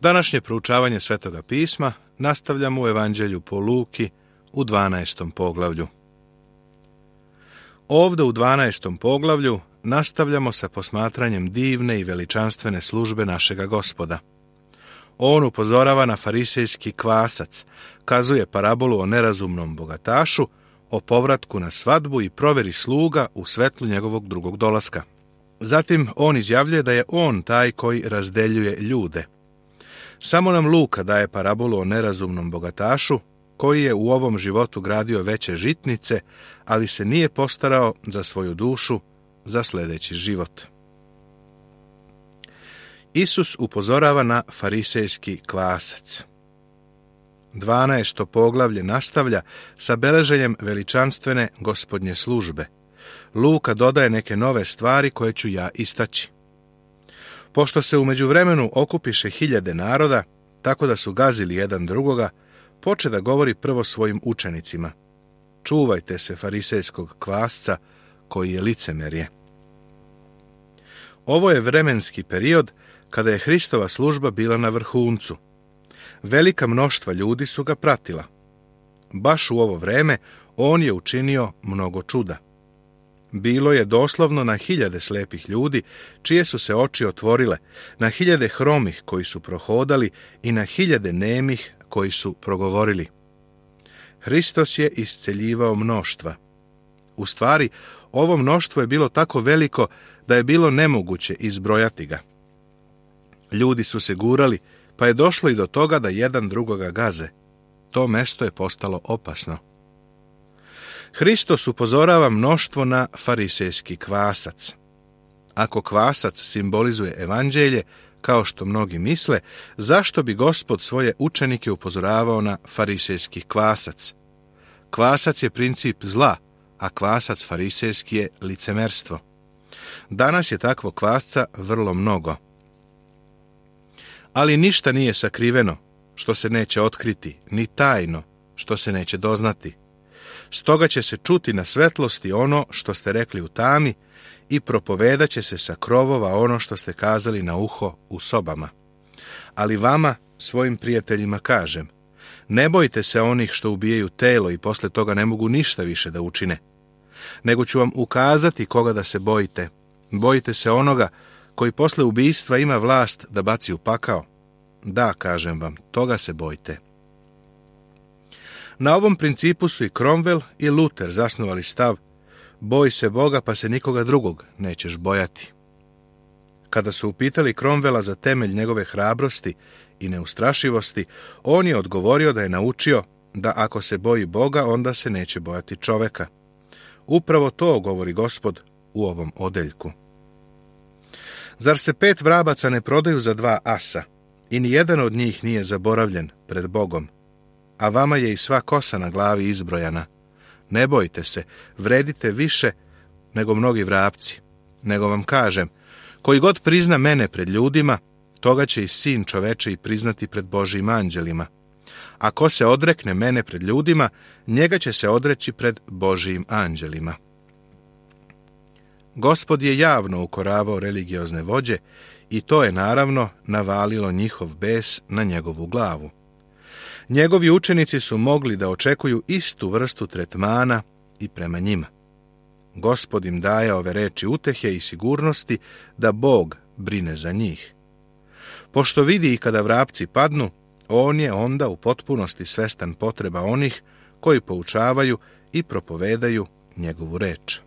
Današnje proučavanje Svetoga pisma nastavljamo u Evanđelju po Luki u 12. poglavlju. Ovdje u 12. poglavlju nastavljamo sa posmatranjem divne i veličanstvene službe našega Gospoda. On upozorava na farisejski kvasac, kazuje parabolu o nerazumnom bogatašu, o povratku na svadbu i provjeri sluga u svetlu njegovog drugog dolaska. Zatim on izjavljuje da je on taj koji razdeljuje ljude. Samo nam Luka daje parabolu o nerazumnom bogatašu, koji je u ovom životu gradio veće žitnice, ali se nije postarao za svoju dušu, za sljedeći život. Isus upozorava na farisejski kvasac. 12. poglavlje nastavlja sa beleženjem veličanstvene gospodnje službe. Luka dodaje neke nove stvari koje ću ja istaći. Pošto se u međuvremenu okupiše hiljade naroda, tako da su gazili jedan drugoga, poče da govori prvo svojim učenicima. Čuvajte se farisejskog kvasca koji je licemerje. Ovo je vremenski period kada je Hristova služba bila na vrhuncu. Velika mnoštva ljudi su ga pratila. Baš u ovo vreme on je učinio mnogo čuda. Bilo je doslovno na hiljade slepih ljudi, čije su se oči otvorile, na hiljade hromih koji su prohodali i na hiljade nemih koji su progovorili. Hristos je isceljivao mnoštva. U stvari, ovo mnoštvo je bilo tako veliko da je bilo nemoguće izbrojati ga. Ljudi su se gurali, pa je došlo i do toga da jedan drugoga gaze. To mesto je postalo opasno. Hristos upozorava mnoštvo na farisejski kvasac. Ako kvasac simbolizuje evanđelje, kao što mnogi misle, zašto bi Gospod svoje učenike upozoravao na farisejski kvasac? Kvasac je princip zla, a kvasac farisejski je licemerstvo. Danas je takvo kvasca vrlo mnogo. Ali ništa nije sakriveno, što se neće otkriti, ni tajno, što se neće doznati. Stoga će se čuti na svetlosti ono što ste rekli u tami i propovedat će se sa krovova ono što ste kazali na uho u sobama. Ali vama, svojim prijateljima, kažem, ne bojte se onih što ubijaju telo i posle toga ne mogu ništa više da učine. Nego ću vam ukazati koga da se bojite. Bojite se onoga koji posle ubijstva ima vlast da baci u pakao. Da, kažem vam, toga se bojte. Na ovom principu su i Cromwell i Luther zasnovali stav: boj se Boga pa se nikoga drugog nećeš bojati. Kada su upitali Cromwella za temelj njegove hrabrosti i neustrašivosti, on je odgovorio da je naučio da ako se boji Boga, onda se neće bojati čoveka. Upravo to govori Gospod u ovom odeljku. Zar se 5 vrabaca ne prodaju za 2 asa i ni jedan od njih nije zaboravljen pred Bogom? A vama je i sva kosa na glavi izbrojana. Ne bojte se, vredite više nego mnogi vrapci. Nego vam kažem, koji god prizna mene pred ljudima, toga će i Sin čoveče i priznati pred Božjim anđelima. A ko se odrekne mene pred ljudima, njega će se odreći pred Božjim anđelima. Gospod je javno ukoravao religiozne vođe i to je naravno navalilo njihov bes na njegovu glavu. Njegovi učenici su mogli da očekuju istu vrstu tretmana i prema njima. Gospod im daje ove reči utehe i sigurnosti da Bog brine za njih. Pošto vidi i kada vrapci padnu, on je onda u potpunosti svestan potreba onih koji poučavaju i propovedaju njegovu reč.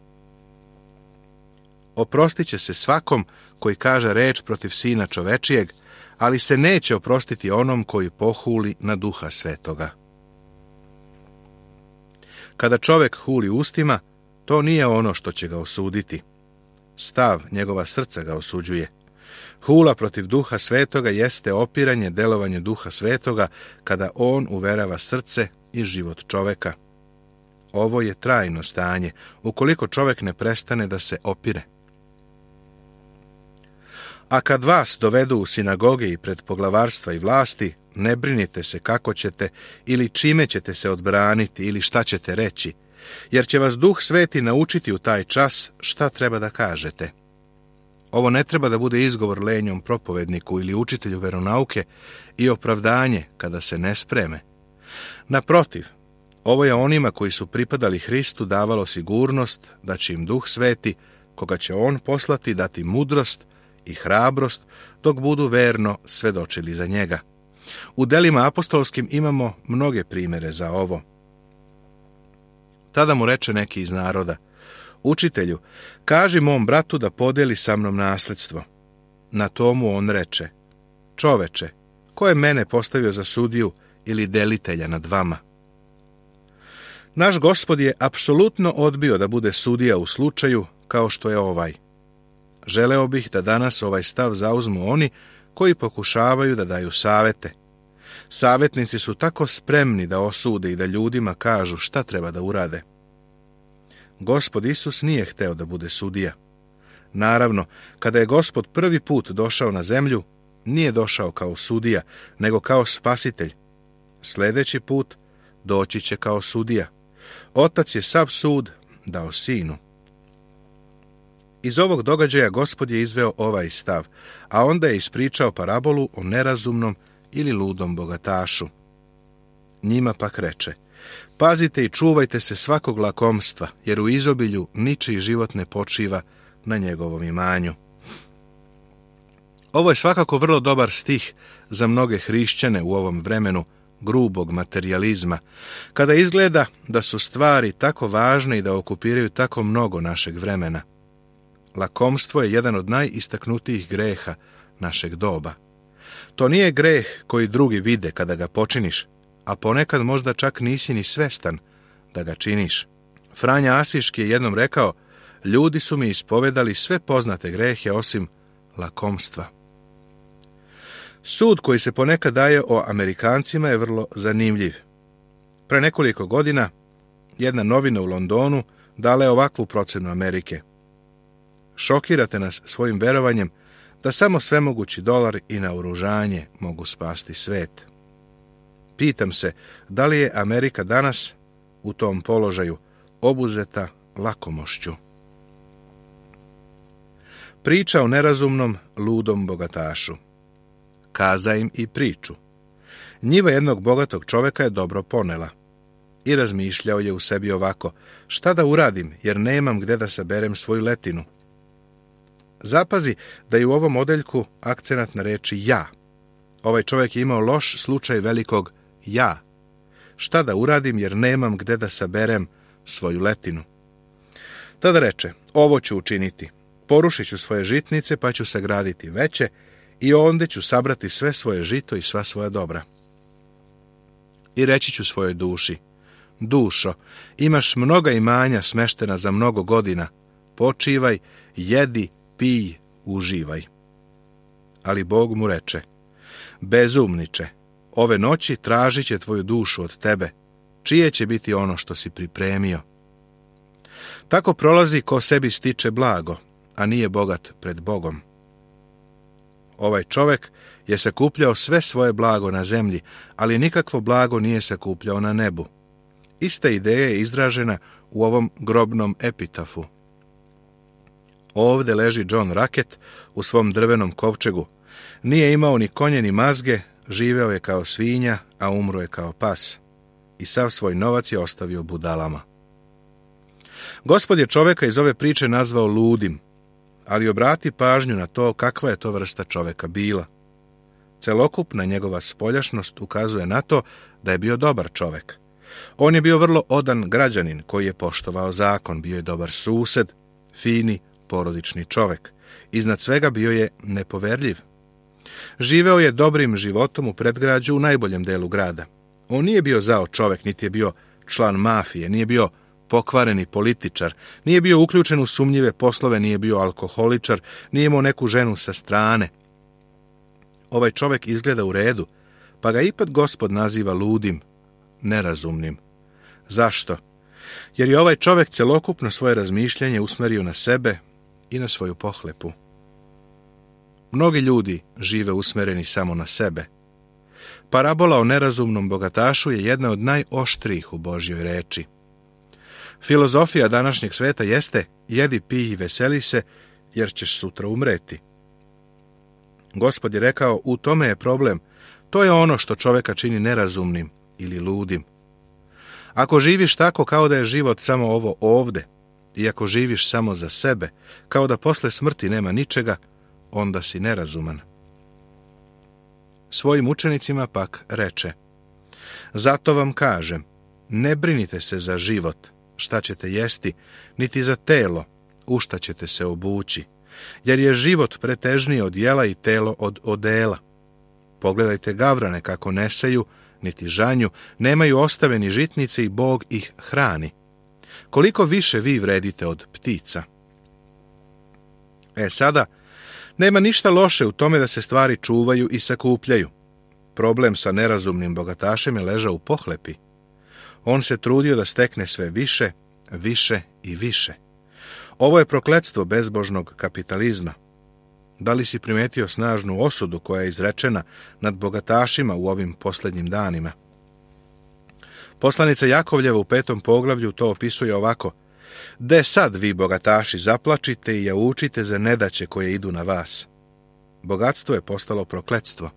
Oprostit će se svakom koji kaže reč protiv Sina čovečijeg, ali se neće oprostiti onom koji pohuli na Duha Svetoga. Kada čovek huli ustima, to nije ono što će ga osuditi. Stav njegova srca ga osuđuje. Hula protiv Duha Svetoga jeste opiranje delovanje Duha Svetoga kada on uverava srce i život čoveka. Ovo je trajno stanje, ukoliko čovek ne prestane da se opire. A kad vas dovedu u sinagoge i pred poglavarstva i vlasti, ne brinite se kako ćete ili čime ćete se odbraniti ili šta ćete reći, jer će vas Duh Sveti naučiti u taj čas šta treba da kažete. Ovo ne treba da bude izgovor lenjom propovedniku ili učitelju veronauke i opravdanje kada se ne spreme. Naprotiv, ovo je onima koji su pripadali Hristu davalo sigurnost da će im Duh Sveti, koga će On poslati, dati mudrost i hrabrost dok budu verno svedočili za njega. U delima apostolskim imamo mnoge primere za ovo. Tada mu reče neki iz naroda: Učitelju, kaži mom bratu da podeli sa mnom nasledstvo. Na tomu on reče: Čoveče, ko je mene postavio za sudiju ili delitelja nad vama? Naš Gospod je apsolutno odbio da bude sudija u slučaju kao što je ovaj. Želeo bih da danas ovaj stav zauzmu oni koji pokušavaju da daju savete. Savetnici su tako spremni da osude i da ljudima kažu šta treba da urade. Gospod Isus nije hteo da bude sudija. Naravno, kada je Gospod prvi put došao na zemlju, nije došao kao sudija, nego kao spasitelj. Sljedeći put doći će kao sudija. Otac je sav sud dao sinu. Iz ovog događaja Gospod je izveo ovaj stav, a onda je ispričao parabolu o nerazumnom ili ludom bogatašu. Njima pak reče: Pazite i čuvajte se svakog lakomstva, jer u izobilju ničiji život ne počiva na njegovom imanju. Ovo je svakako vrlo dobar stih za mnoge hrišćane u ovom vremenu grubog materijalizma, kada izgleda da su stvari tako važne i da okupiraju tako mnogo našeg vremena. Lakomstvo je jedan od najistaknutijih greha našeg doba. To nije greh koji drugi vide kada ga počiniš, a ponekad možda čak nisi ni svestan da ga činiš. Franja Asiški je jednom rekao: Ljudi su mi ispovedali sve poznate grehe osim lakomstva. Sud koji se ponekad daje o Amerikancima je vrlo zanimljiv. Pre nekoliko godina jedna novina u Londonu dala je ovakvu procenu Amerike: Šokirate nas svojim verovanjem da samo svemogući dolar i naoružanje mogu spasti svet. Pitam se, da li je Amerika danas u tom položaju obuzeta lakomošću? Priča o nerazumnom, ludom bogatašu. Kaza im i priču. Njiva jednog bogatog čoveka je dobro ponela. I razmišljao je u sebi ovako: šta da uradim, jer nemam gde da saberem svoju letinu? Zapazi da je u ovom odeljku akcenat na reči ja. Ovaj čovjek je imao loš slučaj velikog ja. Šta da uradim, jer nemam gde da saberem svoju letinu? Tada reče: ovo ću učiniti. Porušit ću svoje žitnice, pa ću sagraditi veće, i onda ću sabrati sve svoje žito i sva svoja dobra. I reći ću svojoj duši: dušo, imaš mnoga imanja smeštena za mnogo godina. Počivaj, jedi, pij, uživaj. Ali Bog mu reče: bezumniče, ove noći tražit će tvoju dušu od tebe. Čije će biti ono što si pripremio? Tako prolazi ko sebi stiče blago, a nije bogat pred Bogom. Ovaj čovjek je sakupljao sve svoje blago na zemlji, ali nikakvo blago nije sakupljao na nebu. Ista ideja je izražena u ovom grobnom epitafu. Ovde leži John Racket u svom drvenom kovčegu. Nije imao ni konje ni mazge, živeo je kao svinja, a umro je kao pas. I sav svoj novac je ostavio budalama. Gospod je čovjeka iz ove priče nazvao ludim, ali obrati pažnju na to kakva je to vrsta čovjeka bila. Celokupna njegova spoljašnost ukazuje na to da je bio dobar čovjek. On je bio vrlo odan građanin koji je poštovao zakon, bio je dobar sused, fini, porodični čovjek. Iznad svega bio je nepoverljiv. Živeo je dobrim životom u predgrađu u najboljem delu grada. On nije bio zao čovjek, niti je bio član mafije, nije bio pokvareni političar, nije bio uključen u sumnjive poslove, nije bio alkoholičar, nije imao neku ženu sa strane. Ovaj čovjek izgleda u redu, pa ga ipak Gospod naziva ludim, nerazumnim. Zašto? Jer je ovaj čovjek celokupno svoje razmišljanje usmerio na sebe i na svoju pohlepu. Mnogi ljudi žive usmereni samo na sebe. Parabola o nerazumnom bogatašu je jedna od najoštrijih u Božjoj reči. Filozofija današnjeg sveta jeste: jedi, pij i veseli se, jer ćeš sutra umreti. Gospod je rekao, u tome je problem. To je ono što čovjeka čini nerazumnim ili ludim. Ako živiš tako kao da je život samo ovo ovde, i ako živiš samo za sebe, kao da posle smrti nema ničega, onda si nerazuman. Svojim učenicima pak reče, zato vam kažem, ne brinite se za život, šta ćete jesti, niti za telo, u šta ćete se obući, jer je život pretežniji od jela i telo od odela. Pogledajte gavrane kako ne seju, niti žanju, nemaju ostaveni žitnice i Bog ih hrani. Koliko više vi vredite od ptica? Sada, nema ništa loše u tome da se stvari čuvaju i sakupljaju. Problem sa nerazumnim bogatašem je ležao u pohlepi. On se trudio da stekne sve više, više i više. Ovo je prokletstvo bezbožnog kapitalizma. Da li si primetio snažnu osudu koja je izrečena nad bogatašima u ovim posljednjim danima? Poslanica Jakovljeva u 5. poglavlju to opisuje ovako. De sad vi bogataši zaplačite i jaučite za nedaće koje idu na vas. Bogatstvo je postalo prokletstvo.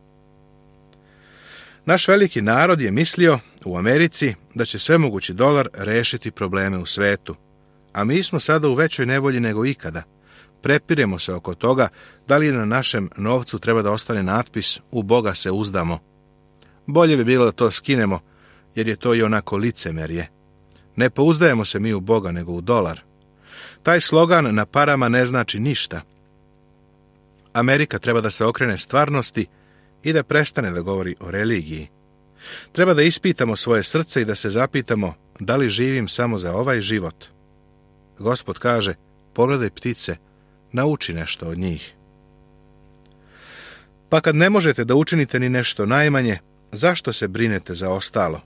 Naš veliki narod je mislio u Americi da će svemogući dolar rešiti probleme u svetu. A mi smo sada u većoj nevolji nego ikada. Prepiremo se oko toga da li na našem novcu treba da ostane natpis u Boga se uzdamo. Bolje bi bilo da to skinemo, jer je to i onako licemerje. Ne pouzdajemo se mi u Boga nego u dolar. Taj slogan na parama ne znači ništa. Amerika treba da se okrene stvarnosti i da prestane da govori o religiji. Treba da ispitamo svoje srce i da se zapitamo da li živim samo za ovaj život. Gospod kaže, pogledaj ptice, nauči nešto od njih. Pa kad ne možete da učinite ni nešto najmanje, zašto se brinete za ostalo?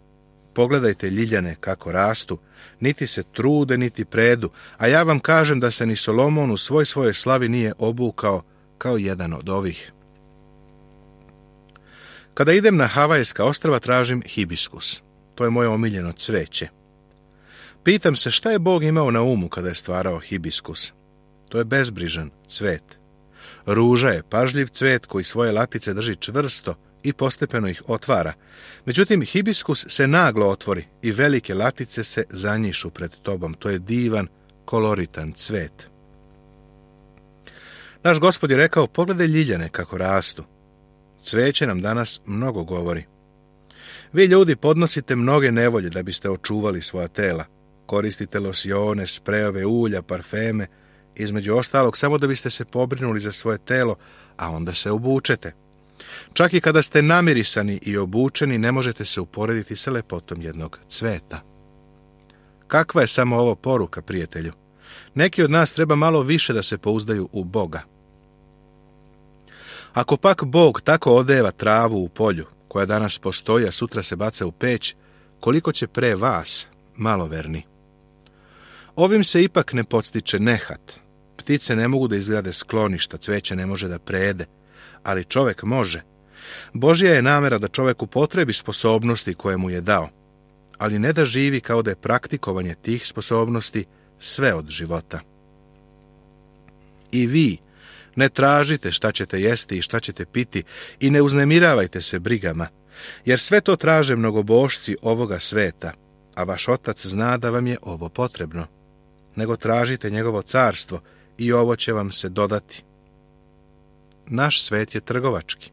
Pogledajte ljiljane kako rastu, niti se trude, niti predu, a ja vam kažem da se ni Solomon u svojoj slavi nije obukao kao jedan od ovih. Kada idem na Havajska ostrva tražim hibiskus. To je moje omiljeno cveće. Pitam se šta je Bog imao na umu kada je stvarao hibiskus. To je bezbrižan cvet. Ruža je pažljiv cvet koji svoje latice drži čvrsto i postepeno ih otvara. Međutim, hibiskus se naglo otvori i velike latice se zanjišu pred tobom. To je divan, koloritan cvet. Naš Gospod je rekao, pogledaj ljiljane kako rastu. Cveće nam danas mnogo govori. Vi ljudi podnosite mnoge nevolje da biste očuvali svoja tela. Koristite losione, sprejove, ulja, parfeme, između ostalog samo da biste se pobrinuli za svoje telo, a onda se obučete. Čak i kada ste namirisani i obučeni, ne možete se uporediti sa lepotom jednog cveta. Kakva je samo ovo poruka, prijatelju? Neki od nas treba malo više da se pouzdaju u Boga. Ako pak Bog tako odeva travu u polju, koja danas postoji, a sutra se baca u peć, koliko će pre vas, maloverni? Ovim se ipak ne podstiče nehat. Ptice ne mogu da izgrade skloništa, cveće ne može da prejede, ali čovek može. Božja je namera da čovek upotrebi sposobnosti koje mu je dao, ali ne da živi kao da je praktikovanje tih sposobnosti sve od života. I vi ne tražite šta ćete jesti i šta ćete piti i ne uznemiravajte se brigama, jer sve to traže mnogobošci ovoga sveta, a vaš Otac zna da vam je ovo potrebno. Nego tražite njegovo carstvo i ovo će vam se dodati. Naš svet je trgovački.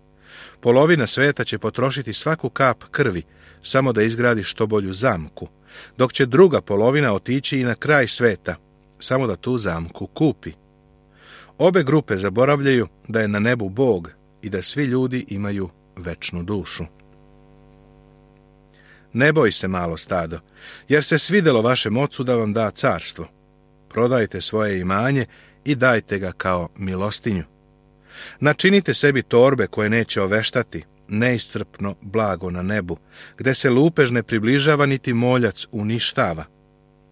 Polovina sveta će potrošiti svaku kap krvi samo da izgradi što bolju zamku, dok će druga polovina otići i na kraj sveta, samo da tu zamku kupi. Obe grupe zaboravljaju da je na nebu Bog i da svi ljudi imaju večnu dušu. Ne boj se, malo stado, jer se svidelo vašem ocu da vam da carstvo. Prodajte svoje imanje i dajte ga kao milostinju. Načinite sebi torbe koje neće oveštati, neiscrpno blago na nebu, gde se lupež ne približava niti moljac uništava,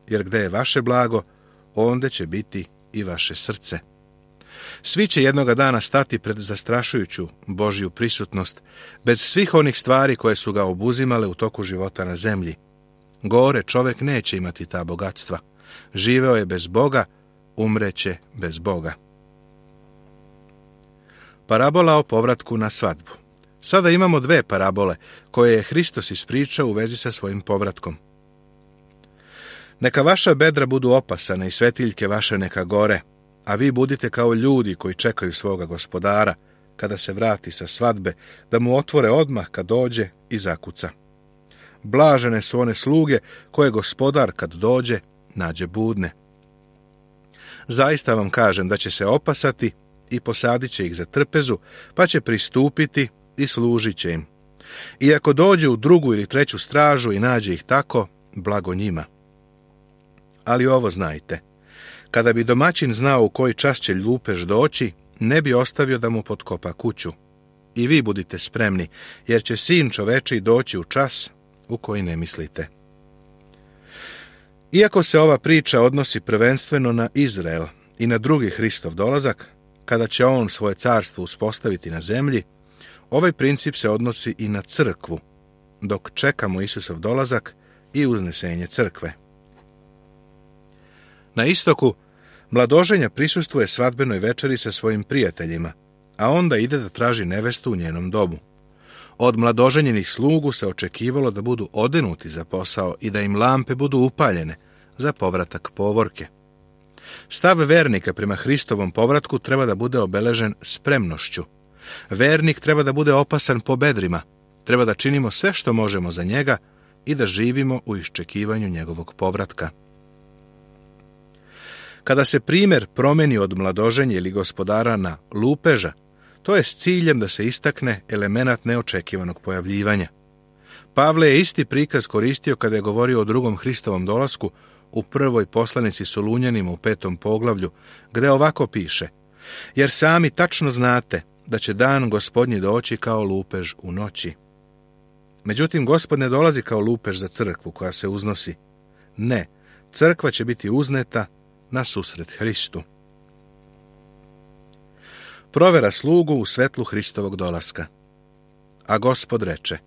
jer gde je vaše blago, onda će biti i vaše srce. Svi će jednoga dana stati pred zastrašujuću Božju prisutnost, bez svih onih stvari koje su ga obuzimale u toku života na zemlji. Gore čovek neće imati ta bogatstva. Živeo je bez Boga, umreće bez Boga. Parabola o povratku na svadbu. Sada imamo dve parabole koje je Hristos ispričao u vezi sa svojim povratkom. Neka vaša bedra budu opasane i svetiljke vaše neka gore, a vi budite kao ljudi koji čekaju svoga gospodara, kada se vrati sa svadbe, da mu otvore odmah kad dođe i zakuca. Blažene su one sluge koje gospodar kad dođe nađe budne. Zaista vam kažem da će se opasati i posadit će ih za trpezu, pa će pristupiti i služit će im. I ako dođe u drugu ili treću stražu i nađe ih tako, blago njima. Ali ovo znajte, kada bi domaćin znao u koji čas će lupež doći, ne bi ostavio da mu potkopa kuću. I vi budite spremni, jer će Sin čovečiji doći u čas u koji ne mislite. Iako se ova priča odnosi prvenstveno na Izrael i na drugi Hristov dolazak, kada će on svoje carstvo uspostaviti na zemlji, ovaj princip se odnosi i na crkvu, dok čekamo Isusov dolazak i uznesenje crkve. Na istoku, mladoženja prisustvuje svadbenoj večeri sa svojim prijateljima, a onda ide da traži nevestu u njenom domu. Od mladoženjenih slugu se očekivalo da budu odenuti za posao i da im lampe budu upaljene za povratak povorke. Stav vernika prema Hristovom povratku treba da bude obeležen spremnošću. Vernik treba da bude opasan po bedrima, treba da činimo sve što možemo za njega i da živimo u iščekivanju njegovog povratka. Kada se primjer promeni od mladoženja ili gospodara na lupeža, to je s ciljem da se istakne elemenat neočekivanog pojavljivanja. Pavle je isti prikaz koristio kada je govorio o drugom Hristovom dolasku u prvoj poslanici Solunjanima u 5. poglavlju, gde ovako piše: jer sami tačno znate da će dan Gospodnji doći kao lupež u noći. Međutim, Gospod ne dolazi kao lupež za crkvu koja se uznosi. Ne, crkva će biti uzneta na susret Hristu. Provera slugu u svetlu Hristovog dolaska. A Gospod reče: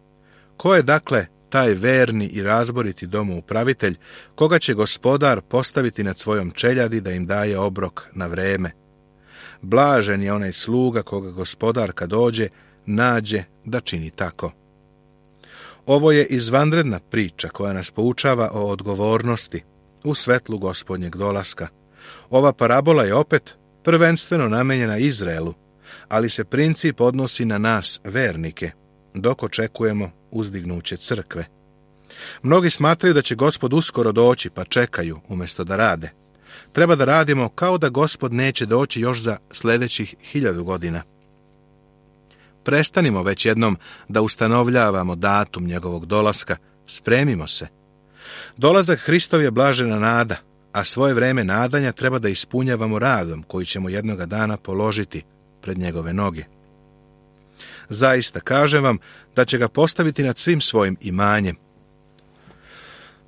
ko je dakle taj verni i razboriti domoupravitelj, koga će gospodar postaviti nad svojom čeljadi da im daje obrok na vreme? Blažen je onaj sluga koga gospodar kad dođe nađe da čini tako. Ovo je izvanredna priča koja nas poučava o odgovornosti u svetlu Gospodnjeg dolaska. Ova parabola je opet prvenstveno namenjena Izraelu, ali se princip odnosi na nas, vernike, dok očekujemo uzdignuće crkve. Mnogi smatraju da će Gospod uskoro doći, pa čekaju umjesto da rade. Treba da radimo kao da Gospod neće doći još za sljedećih 1000 godina. Prestanimo već jednom da ustanovljavamo datum njegovog dolaska, spremimo se. Dolazak Hristov je blažena nada, a svoje vreme nadanja treba da ispunjavamo radom koji ćemo jednoga dana položiti pred njegove noge. Zaista, kažem vam da će ga postaviti nad svim svojim imanjem.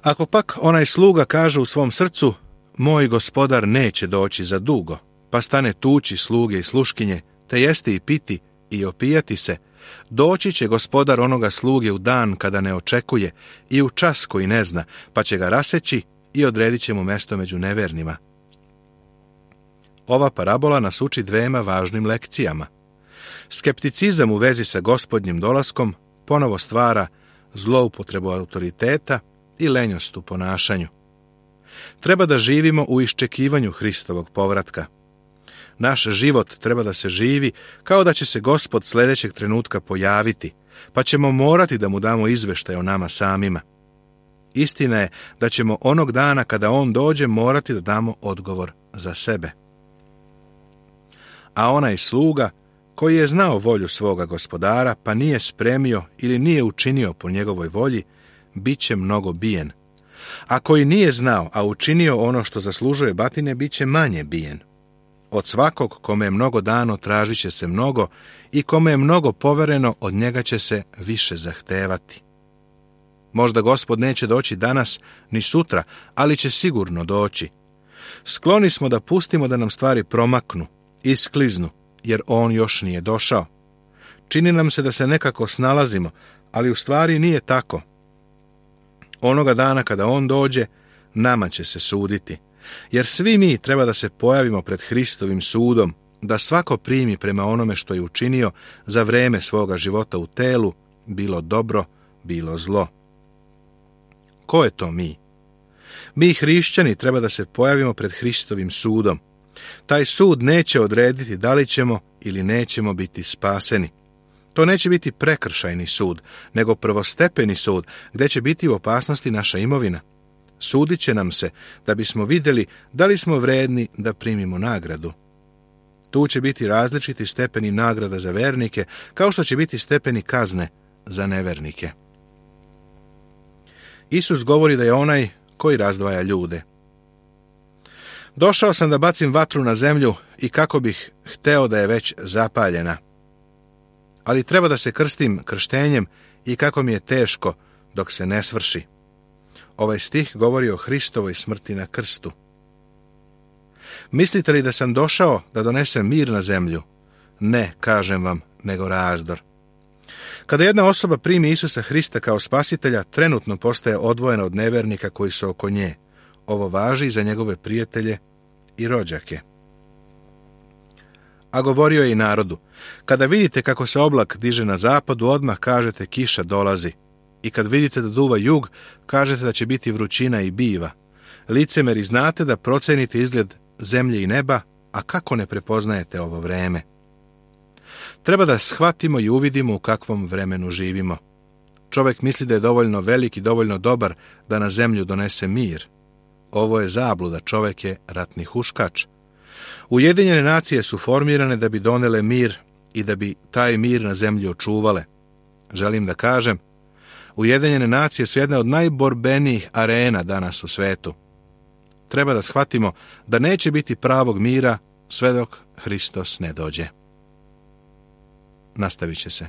Ako pak onaj sluga kaže u svom srcu: moj gospodar neće doći za dugo, pa stane tući sluge i sluškinje, te jesti i piti i opijati se, doći će gospodar onoga sluge u dan kada ne očekuje i u čas koji ne zna, pa će ga raseći i odredit će mu mesto među nevernima. Ova parabola nas uči dvema važnim lekcijama. Skepticizam u vezi sa Gospodnjim dolaskom ponovo stvara zloupotrebu autoriteta i lenjost u ponašanju. Treba da živimo u iščekivanju Hristovog povratka. Naš život treba da se živi kao da će se Gospod sljedećeg trenutka pojaviti, pa ćemo morati da mu damo izveštaj o nama samima. Istina je da ćemo onog dana kada on dođe morati da damo odgovor za sebe. A onaj sluga koji je znao volju svoga gospodara, pa nije spremio ili nije učinio po njegovoj volji, bit će mnogo bijen. A koji nije znao, a učinio ono što zaslužuje batine, bit će manje bijen. Od svakog kome je mnogo dano tražit će se mnogo i kome je mnogo povereno od njega će se više zahtevati. Možda Gospod neće doći danas ni sutra, ali će sigurno doći. Skloni smo da pustimo da nam stvari promaknu, iskliznu, jer on još nije došao. Čini nam se da se nekako snalazimo, ali u stvari nije tako. Onoga dana kada on dođe, nama će se suditi, jer svi mi treba da se pojavimo pred Hristovim sudom, da svako primi prema onome što je učinio za vreme svoga života u telu, bilo dobro, bilo zlo. Ko je to mi? Mi hrišćani treba da se pojavimo pred Hristovim sudom. Taj sud neće odrediti da li ćemo ili nećemo biti spaseni. To neće biti prekršajni sud, nego prvostepeni sud, gdje će biti u opasnosti naša imovina. Sudit će nam se da bismo vidjeli da li smo vredni da primimo nagradu. Tu će biti različiti stepeni nagrada za vernike, kao što će biti stepeni kazne za nevernike. Isus govori da je onaj koji razdvaja ljude. Došao sam da bacim vatru na zemlju i kako bih hteo da je već zapaljena. Ali treba da se krstim krštenjem i kako mi je teško dok se ne svrši. Ovaj stih govori o Hristovoj smrti na krstu. Mislite li da sam došao da donesem mir na zemlju? Ne, kažem vam, nego razdor. Kada jedna osoba primi Isusa Hrista kao spasitelja, trenutno postaje odvojena od nevernika koji su oko nje. Ovo važi i za njegove prijatelje i rođake. A govorio je i narodu: kada vidite kako se oblak diže na zapadu, odmah kažete kiša dolazi. I kad vidite da duva jug, kažete da će biti vrućina i biva. Licemeri, znate da procenite izgled zemlje i neba, a kako ne prepoznajete ovo vreme? Treba da shvatimo i uvidimo u kakvom vremenu živimo. Čovjek misli da je dovoljno velik i dovoljno dobar da na zemlju donese mir. Ovo je zabluda, čovjek je ratni huškač. Ujedinjene nacije su formirane da bi donele mir i da bi taj mir na zemlji očuvale. Želim da kažem, Ujedinjene nacije su jedna od najborbenijih arena danas u svetu. Treba da shvatimo da neće biti pravog mira sve dok Hristos ne dođe. Nastavit će se.